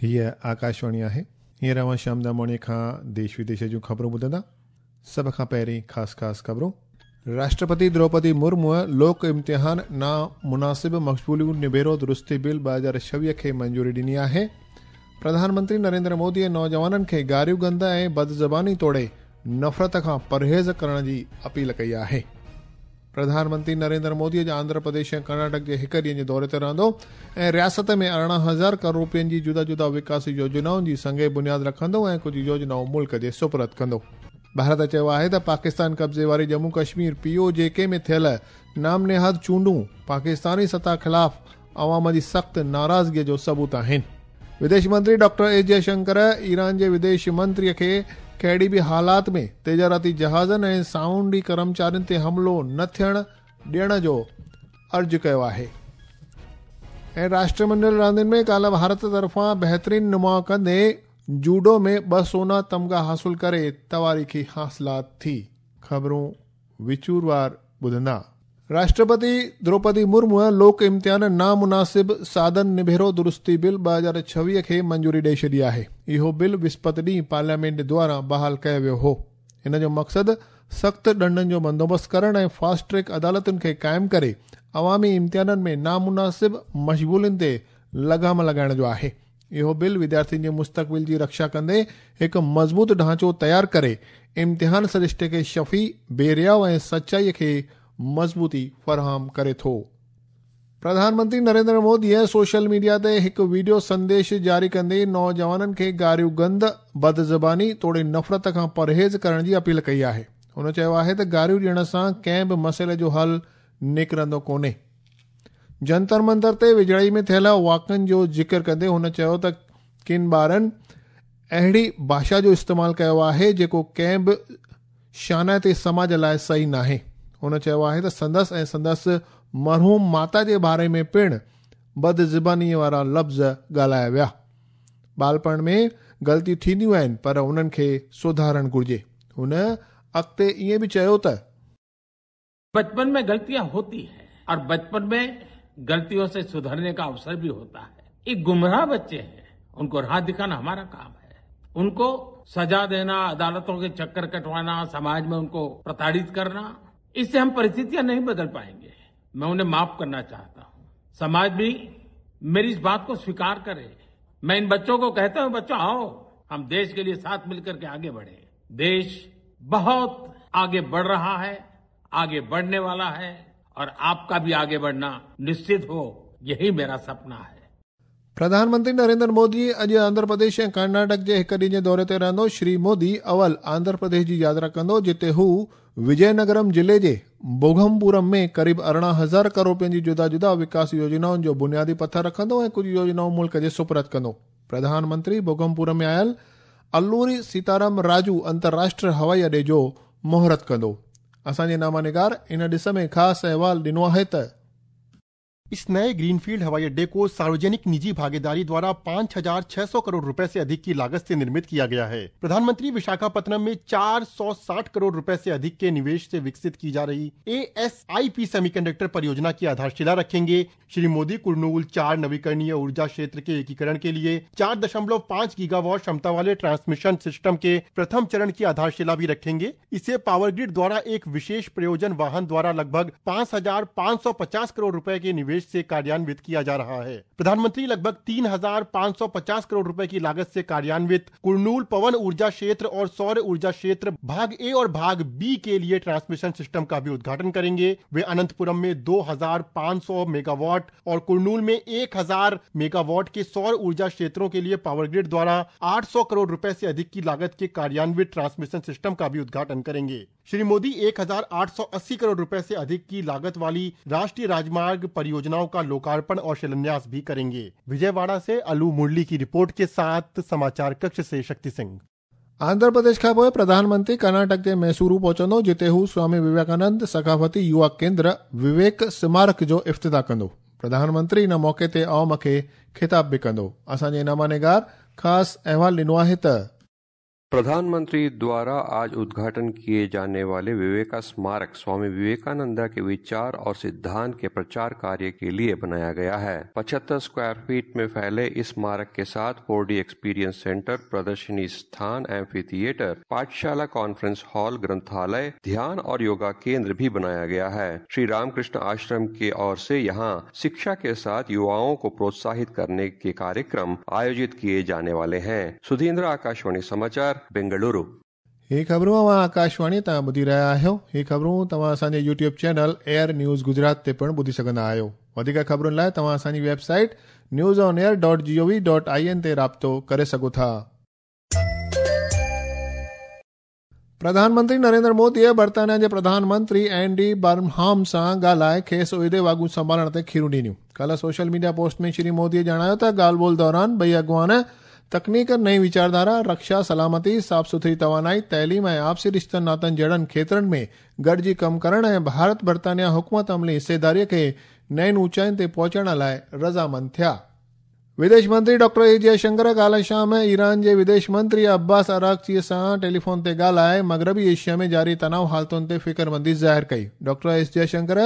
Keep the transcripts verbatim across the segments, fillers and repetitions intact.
हीअ आकाशवाणी आहे। हींअर अव्हां श्याम दामोणी खां देश विदेश जूं ख़बरूं ॿुधंदा। सभ खां पहिरीं ख़ासि ख़ासि ख़बरूं। राष्ट्रपति द्रौपदी मुर्मू लोक इम्तिहान नामुनासिब मक़बूलियूं निबेरो दुरुस्ती बिल ॿ हज़ार छवीह खे मंजूरी ॾिनी आहे। प्रधानमंत्री नरेंद्र मोदीअ नौजवाननि खे गारियूं गंद ऐं बदज़बानी तोड़े नफ़रत खां परहेज़ करण जी अपील कई आहे। प्रधानमंत्री नरेंद्र मोदी अॼु आंध्र प्रदेश ऐं कर्नाटक जे हिकु ॾींहं जे दौरे ते रहंदो ऐं रियासत में अरिड़हं हज़ार करोड़ रुपयनि जी जुदा जुदा विकास योजनाउनि जी संगे बुनियाद रखंदो ऐं कुझु योजनाऊं मुल्क जे सुपुर्द कंदो। भारत चयो आहे त पाकिस्तान कब्ज़े वारी जम्मू कश्मीर पी ओ जे के में थियल नामनेहाद चूंडूं पाकिस्तानी सतह ख़िलाफ़ अवाम जी सख़्तु नाराज़गीअ जो सबूत आहिनि। विदेश मंत्री डॉक्टर एस जयशंकर ईरान जे विदेश मंत्रीअ खे कहिड़ी बि हालात में तिजारती जहाज़नि ऐं साउंडी कर्मचारियुनि ते हमलो न थियण ॾियण जो अर्ज़ु कयो आहे। ऐं राष्ट्रमंडल रांदियुनि में काल्ह भारत तरफ़ां बहितरीन नुमाउ कंदे जूडो में ॿ सोना तमगा हासिल करे तवारीख़ी हासिलात थी। ख़बरूं विचूरवार ॿुधंदा। राष्ट्रपति द्रौपदी मुर्मू लोक इम्तिहान नामुनासिब साधन निबेरो दुरुस्ती बिल ॿ हज़ार छवीह खे मंजूरी ॾेई छॾी आहे। इहो बिल विस्पत ॾींहुं पार्लियामेंट द्वारा बहाल कयो वियो हो। हिन जो मक़सदु सख़्तु ॾंडनि जो बंदोबस्तु करण ऐं फास्ट ट्रैक अदालतुनि खे क़ाइमु करे अवामी इम्तिहाननि में नामुनासिब मशगूलियुनि ते लगाम लॻाइण जो आहे। इहो बिल विद्यार्थियुनि जे मुस्तक़बिल जी रक्षा कंदे हिकु मज़बूत ढांचो तयारु करे इम्तिहान सरिश्ते खे शफ़ी, बेरियाव ऐं सचाईअ खे मज़बूती फराहम करे थो। प्रधानमंत्री नरेंद्र मोदीअ सोशल मीडिया ते हिकु वीडियो संदेश जारी कंदे नौजवाननि खे गारियूं गंद, बदज़बानी तोड़े नफ़रत खां परहेज़ करण जी अपील कई आहे। हुन चयो आहे त गारियूं ॾियण सां कंहिं बि मसइले जो हल निकिरंदो कोन्हे। जंतर मंतर ते विझड़ाई में थियल वाक़िअनि जो ज़िक्र कंदे हुन चयो त किन ॿारनि अहिड़ी भाषा जो इस्तेमालु कयो आहे जेको कंहिं बि शानाइते समाज लाइ सही नाहे। हुन चयो आहे त संदसि ऐं संदसि मरहूम माता जे बारे में पिणु बदज़बानीअ वारा लफ़्ज़ ॻाल्हाया विया। ॿालपण में ग़लतियूं थींदियूं आहिनि पर उन्हनि खे सुधारणु घुरिजे। हुन अॻिते ईअं बि चयो त बचपन में गलतियां होती है और बचपन में गलतियों से सुधरने का अवसर भी होता है। ये गुमराह बच्चे हैं, उनको राह दिखाना हमारा काम है। उनको सजा देना, अदालतों के चक्कर कटवाना, समाज में उनको प्रताड़ित करना, इससे हम परिस्थितियां नहीं बदल पाएंगे। मैं उन्हें माफ करना चाहता हूं। समाज भी मेरी इस बात को स्वीकार करे। मैं इन बच्चों को कहता हूं, बच्चों आओ, हम देश के लिए साथ मिलकर के आगे बढ़े। देश बहुत आगे बढ़ रहा है, आगे बढ़ने वाला है और आपका भी आगे बढ़ना निश्चित हो, यही मेरा सपना है। प्रधानमंत्री नरेंद्र मोदी अॼु आंध्र प्रदेश ऐं कर्नाटक जे हिकु ॾींहं जे दौरे ते रहंदो। श्री मोदी अवल आंध्र प्रदेश जी यात्रा कंदो, जिते हू विजयनगरम ज़िले जे बोघमपुरम में क़रीब अरिड़हं हज़ार करोड़ रुपयनि जी जुदा जुदा विकास योजनाउनि जो बुनियादी पथर रखंदो ऐं कुझु योजनाऊं मुल्क जे सुपुर्द कंदो। प्रधानमंत्री बोघमपुर में आयल अल्लूरी सीताराम राजू अंतर्राष्ट्रीय हवाई अॾे जो मुहूर्त कंदो। असांजे नामानिगार इन ॾिस में ख़ासि अहवाल ॾिनो आहे त इस नए ग्रीनफील्ड हवाई अड्डे को सार्वजनिक निजी भागीदारी द्वारा पाँच हजार छह सौ करोड़ रुपए से अधिक की लागत से निर्मित किया गया है। प्रधानमंत्री विशाखापत्तनम में चार सौ साठ करोड़ रुपए से अधिक के निवेश से विकसित की जा रही A S I P semiconductor परियोजना की आधारशिला रखेंगे। श्री मोदी कुर्नूल चार नवीकरणीय ऊर्जा क्षेत्र के एकीकरण के लिए चार दशमलव पाँच गीगावाट क्षमता वाले ट्रांसमिशन सिस्टम के प्रथम चरण की आधारशिला भी रखेंगे। इसे पावर ग्रिड द्वारा एक विशेष प्रयोजन वाहन द्वारा लगभग पाँच हजार पाँच सौ पचास करोड़ रुपए के निवेश से कार्यान्वित किया जा रहा है। प्रधानमंत्री लगभग तीन हजार पाँच सौ पचास करोड़ रुपए की लागत से कार्यान्वित कुर्नूल पवन ऊर्जा क्षेत्र और सौर ऊर्जा क्षेत्र भाग ए और भाग बी के लिए ट्रांसमिशन सिस्टम का भी उद्घाटन करेंगे। वे अनंतपुरम में दो हजार पाँच सौ मेगावाट और कुर्नूल में एक हजार मेगावाट के सौर ऊर्जा क्षेत्रों के लिए पावर ग्रिड द्वारा आठ सौ करोड़ रुपए से अधिक की लागत के कार्यान्वित ट्रांसमिशन सिस्टम का भी उद्घाटन करेंगे। श्री मोदी एक हजार आठ सौ अस्सी करोड़ रुपए से अधिक की लागत वाली राष्ट्रीय राजमार्ग परियोजनाओं का लोकार्पण और शिलान्यास भी करेंगे। विजयवाड़ा से अलू मुरली की रिपोर्ट के साथ समाचार कक्ष से शक्ति सिंह। आंध्र प्रदेश खां पोइ प्रधानमंत्री कर्नाटक जे मैसूरू पहुचंदो, जिते हू स्वामी विवेकानंद सकाफ़ती युवा केंद्र विवेक स्मारक जो इफ्तिताह कंदो। प्रधानमंत्री इन मौक़े ते अवाम खे ख़िताब बि कंदो। असांजे नामानिगार ख़ासि अहवाल ॾिनो आहे त प्रधानमंत्री द्वारा आज उद्घाटन किए जाने वाले विवेका स्मारक स्वामी विवेकानंदा के विचार और सिद्धांत के प्रचार कार्य के लिए बनाया गया है। पचहत्तर स्क्वायर फीट में फैले इस स्मारक के साथ फोर डी एक्सपीरियंस सेंटर, प्रदर्शनी स्थान, एम्फी थिएटर, पाठशाला, कॉन्फ्रेंस हॉल, ग्रंथालय, ध्यान और योगा केंद्र भी बनाया गया है। श्री रामकृष्ण आश्रम के ओर से यहाँ शिक्षा के साथ युवाओं को प्रोत्साहित करने के कार्यक्रम आयोजित किए जाने वाले हैं। सुधीन्द्र, आकाशवाणी समाचार, बेंगलुरु। ही ख़बरूं अवां आकाशवाणी तां ॿुधी रहिया आहियो। ही ख़बरूं तव्हां असांजे YouTube channel Air News Gujarat ते पिणु ॿुधी सघंदा आहियो। वधीक ख़बरुनि लाइ तव्हां असांजी website news on air dot G O V dot I N ते राब्तो करे सघो था। प्रधानमंत्री नरेंद्र मोदीअ बर्तानिया जे प्रधानमंत्री एंडी बर्नहाम सां ॻाल्हाए खेसि उहिदे वाॻूं संभालण ते खीरूं ॾिनियूं। काल्हि सोशल मीडिया पोस्ट में श्री मोदीअ ॼाणायो त ॻाल्हि ॿोल दौरान ॿई अॻुवान तकनीक, नई विचारधारा, रक्षा, सलामती, साफ़ सुथरी तवानाई, तइलीम ऐं आपसी रिश्तनि नातनि जहिड़नि खेत्रनि में गॾिजी कमु करण ऐं भारत बर्तानिया हुकूमत अमली हिस्सेदारीअ खे नयुनि ऊंचाइयुनि ते पहुचण लाइ रज़ामंद थिया। विदेश मंत्री डॉक्टर एस जयशंकर काल्हि शाम ईरान जे विदेश मंत्री अब्बास अरागची सां टेलीफोन ते ॻाल्हाए मग़रबी एशिया में जारी तनाव हालतुनि ते फ़िक्रमंदी ज़ाहिर कई। डॉक्टर एस जयशंकर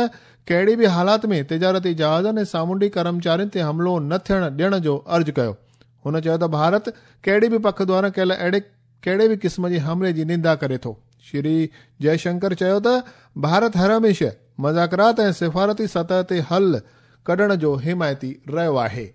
कहिड़ी बि हालात में तिजारती जहाज़नि ऐं सामुंडी कर्मचारियुनि ते हमलो न थियण ॾियण जो अर्ज़ु कयो। हुन चयो त भारत कहिड़ी बि पख द्वारा कयल अहिड़े कहिड़े बि क़िस्म जे हमले जी निंदा करे थो। श्री जयशंकर चयो त भारत हर हमेशह मज़ाकरात ऐं सिफारती सतह ते हल कढण जो हिमायती रहियो आहे।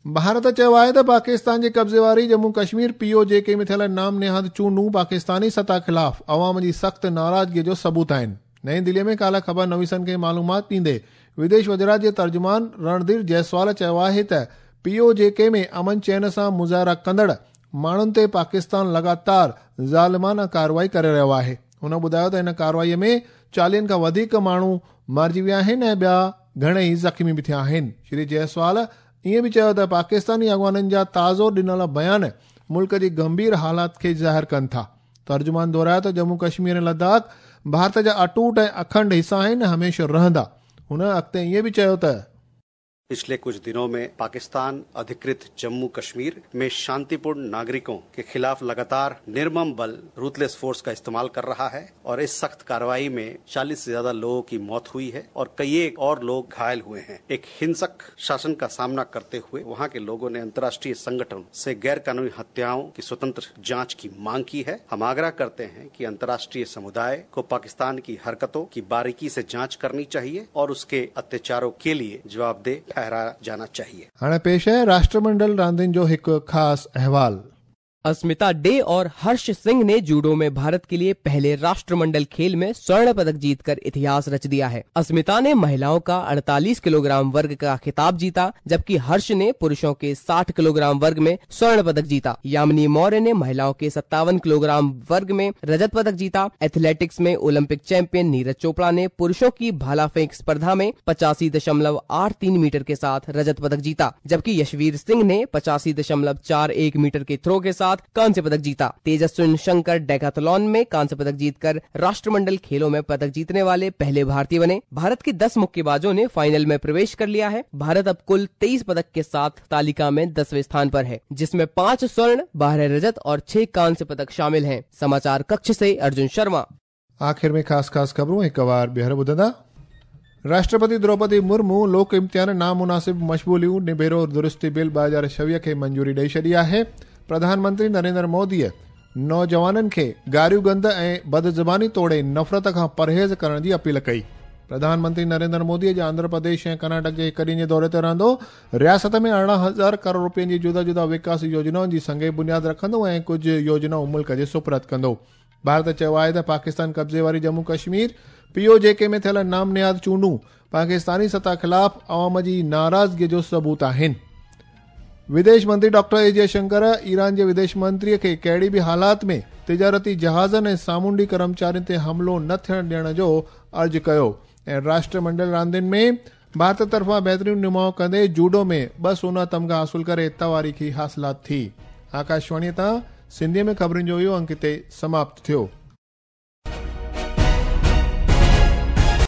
भारत चयो आहे त पाकिस्तान जे कब्ज़े वारी जम्मू कश्मीर पी ओ जे के में थियल नाम निहाद चूंडूं पाकिस्तानी सतह ख़िलाफ़ अवाम जी सख़्तु नाराज़गीअ जो सबूत आहिनि। नई दिल्लीअ में काल्हि ख़बर नवीसनि खे मालूमात ॾींदे विदेश वज़ारत जे तर्जुमान रणधीर जायसवाल चयो आहे त पी ओ जे के में अमन चैन सां मुज़ाहिरा कंदड़ माण्हुनि ते पाकिस्तान लगातार ज़ालिमाना कार्रवाई करे रहियो आहे। हुन ॿुधायो त हिन कार्रवाईअ में चालीहनि खां वधीक माण्हू मारिजी विया आहिनि ऐं ॿिया घणेई ज़ख़्मी बि थिया आहिनि। श्री जायसवाल ईअं बि चयो त पाकिस्तानी अॻुवाननि जा ताज़ो ॾिनल बयान मुल्क जी गंभीर हालात खे ज़ाहिर कनि था। तर्जुमान दोहरायो त जम्मू कश्मीर ऐं लद्दाख भारत जा अटूट ऐं अखंड हिस्सा आहिनि, हमेशह रहंदा। हुन अॻिते ईअं बि चयो त पिछले कुछ दिनों में पाकिस्तान अधिकृत जम्मू कश्मीर में शांतिपूर्ण नागरिकों के खिलाफ लगातार निर्मम बल रूथलेस फोर्स का इस्तेमाल कर रहा है और इस सख्त कार्रवाई में चालीस से ज्यादा लोगों की मौत हुई है और कई एक और लोग घायल हुए हैं। एक हिंसक शासन का सामना करते हुए वहां के लोगों ने अंतर्राष्ट्रीय संगठन से गैर कानूनी हत्याओं की स्वतंत्र जाँच की मांग की है। हम आग्रह करते हैं कि अंतर्राष्ट्रीय समुदाय को पाकिस्तान की हरकतों की बारीकी से जाँच करनी चाहिए और उसके अत्याचारों के लिए जवाबदेह जाना चाहिए। हाणे पेश आहे राष्ट्रमंडल रांदियुनि जो हिकु ख़ासि अहवाल। अस्मिता डे और हर्ष सिंह ने जूडो में भारत के लिए पहले राष्ट्रमंडल खेल में स्वर्ण पदक जीतकर इतिहास रच दिया है। अस्मिता ने महिलाओं का अड़तालीस किलोग्राम वर्ग का खिताब जीता, जबकि हर्ष ने पुरुषों के साठ किलोग्राम वर्ग में स्वर्ण पदक जीता। यामिनी मौर्य ने महिलाओं के सत्तावन किलोग्राम वर्ग में रजत पदक जीता। एथलेटिक्स में ओलंपिक चैंपियन नीरज चोपड़ा ने पुरुषों की भाला फेंक स्पर्धा में पचासी दशमलव आठ तीन मीटर के साथ रजत पदक जीता, जबकि यशवीर सिंह ने पचासी दशमलव चार एक मीटर के थ्रो के साथ कांस्य पदक जीता। तेजस्विन शंकर डेकाथलॉन में कांस्य पदक जीतकर राष्ट्रमंडल खेलों में पदक जीतने वाले पहले भारतीय बने। भारत के दस मुक्केबाजों ने फाइनल में प्रवेश कर लिया है। भारत अब कुल तेईस पदक के साथ तालिका में दसवें स्थान पर है, जिसमें पांच स्वर्ण, बारह रजत और छह कांस्य पदक शामिल हैं। समाचार कक्ष से अर्जुन शर्मा। आखिर में खास खास खबरों एक बार ॿीहर ॿुधंदा। राष्ट्रपति द्रौपदी मुर्मू लोक इम्तिहान नामुनासिब मशगूलियूं निबेरो दुरुस्ती बिल ॿ हज़ार छवीह खे मंजूरी ॾेई छॾी आहे। प्रधानमंत्री नरेंद्र मोदीअ नौजवाननि खे गारियूं गंद ऐं बदज़बानी तोड़े नफ़रत खां परहेज़ करण जी अपील कई। प्रधानमंत्री नरेंद्र मोदी अॼु आंध्र प्रदेश ऐं कर्नाटक जे हिकु ॾींहं जे दौरे ते रहंदो। रियासत में अरिड़हं हज़ार करोड़ रुपयनि जी जुदा जुदा विकास योजनाउनि जी संगे बुनियाद रखंदो ऐं कुझु योजनाऊं मुल्क जे सुपुर्द कंदो। भारत चयो आहे त पाकिस्तान कब्ज़े वारी जम्मू कश्मीर पी ओ जे के में थियल नाम निहाद चूंडूं पाकिस्तानी सतह ख़िलाफ़ अवाम जी नाराज़गीअ जो सबूत आहिनि। विदेश मंत्री डॉक्टर एस जयशंकर ईरान जे विदेश मंत्रीअ खे कहिड़ी बि हालात में तिजारती जहाज़नि ऐं सामुंडी कर्मचारियुनि ते हमलो न थियण ॾियण जो अर्ज़ु कयो। ऐं राष्ट्रमंडल रांदियुनि में भारत तरफ़ां बहितरीन नुमाउ कंदे जूडो में ॿ सोना तमगा हासिल करे तवारीख़ी हासिलात थी। आकाशवाणीअ तां सिंधीअ में ख़बरुनि जो इहो अंक हिते समाप्त थियो।